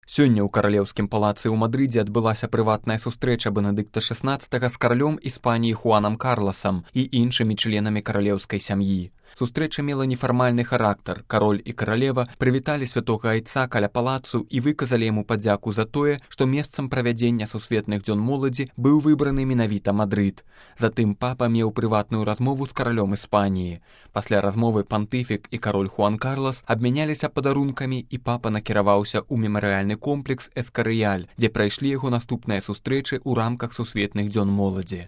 Сёння ў каралеўскім палацы ў Мадрыдзе адбылася прыватная сустрэча Бенедыкта XVI з каралём Іспаніі Хуанам Карласам і іншымі членамі каралеўскай сям'і. Сустрэча мела нефармальны характар. Кароль і каралева прывіталі святога айца каля палацу і выказалі яму падзяку за тое, што месцам правядзення сусветных дзён моладзі быў выбраны менавіта Мадрыд. Затым папа меў прыватную размову з каралём Іспаніі. Пасля размовы пантыфік і кароль Хуан Карлас абмяняліся падарункамі, і папа накіраваўся ў мемарыяльны комплекс Эскарыяль, дзе прайшлі яго наступныя сустрэчы ў рамках сусветных дзён моладзі.